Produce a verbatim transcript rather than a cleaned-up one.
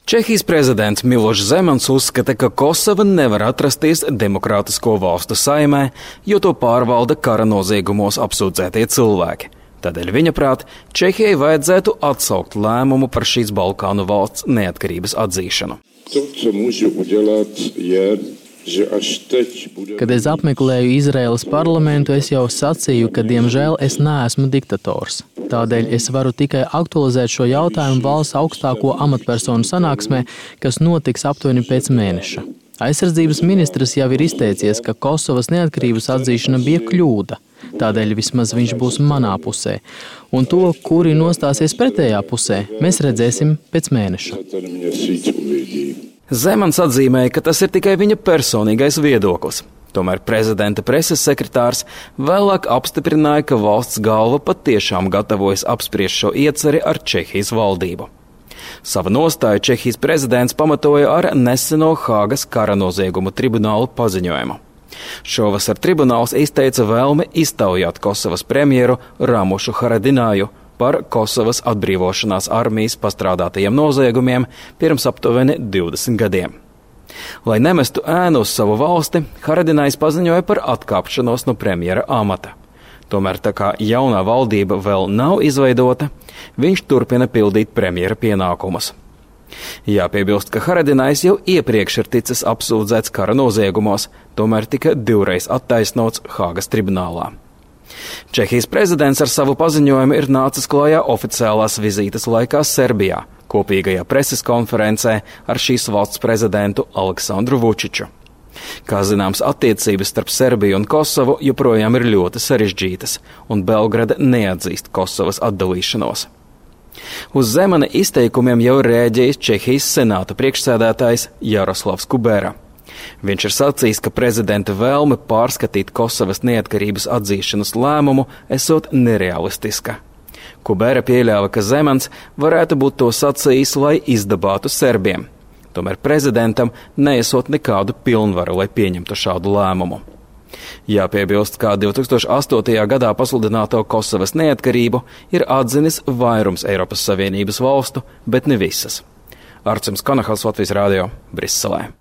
Čehijas prezidents Milošs Zemans uzskata, ka Kosova nevar atrasties demokrātisko valstu saimē, jo to pārvalda kara noziegumos apsūdzētie cilvēki. Tādēļ viņa prāt, Čehijai vajadzētu atsaukt lēmumu par šīs Balkānu valsts neatkarības atzīšanu. To, co mūžu udělat, je, že až teď bude... Kad es apmeklēju Izraēlas parlamentu, es jau sacīju, ka, diemžēl, es neesmu diktators. Tādēļ es varu tikai aktualizēt šo jautājumu valsts augstāko amatpersonu sanāksmē, kas notiks aptuveni pēc mēneša. Aizsardzības ministrs jau ir izteicies, ka Kosovas neatkarības atzīšana bija kļūda. Tādēļ vismaz viņš būs manā pusē. Un to, kuri nostāsies pretējā pusē, mēs redzēsim pēc mēneša. Zemans atzīmēja, ka tas ir tikai viņa personīgais viedoklis. Tomēr prezidenta preses sekretārs vēlāk apstiprināja, ka valsts galva patiešām gatavojas apspriest šo ieceri ar Čehijas valdību. Savu nostāju Čehijas prezidents pamatoja ar neseno Hāgas kara noziegumu tribunālu paziņojumu. Šovasar tribunāls izteica vēlmi iztaujāt Kosovas premjeru Ramušu Haradināju par Kosovas atbrīvošanās armijas pastrādātajiem noziegumiem pirms aptuveni divdesmit gadiem. Lai nemestu ēnu uz savu valsti, Haradinājs paziņoja par atkāpšanos no premjera amata. Tomēr tā kā jaunā valdība vēl nav izveidota, viņš turpina pildīt premjera pienākumus. Jāpiebilst, ka Haradinājs jau iepriekš ir ticis apsūdzēts kara noziegumos, tomēr tika divreiz attaisnots Hāgas tribunālā. Čehijas prezidents ar savu paziņojumu ir nācis klājā oficiālās vizītes laikā Serbijā, kopīgajā preses konferencē ar šīs valsts prezidentu Aleksandru Vučiču. Kā zināms, attiecības starp Serbiju un Kosovu joprojām ir ļoti sarežģītas, un Belgrada neatzīst Kosovas atdalīšanos. Uz Zemana izteikumiem jau rēģējis Čehijas senāta priekšsēdētājs Jaroslavs Kubera. Viņš ir sacījis, ka prezidenta vēlme pārskatīt Kosovas neatkarības atzīšanas lēmumu esot nerealistiska. Kubera pieļāva, ka Zemans varētu būt to sacījis, lai izdabātu serbiem. Tomēr prezidentam neesot nekādu pilnvaru, lai pieņemtu šādu lēmumu. Jāpiebilst, ka divi tūkstoši astotajā gadā pasludināto Kosovas neatkarību ir atzinis vairums Eiropas Savienības valstu, bet ne visas. Arcims Konahals, Latvijas radio, Briselē.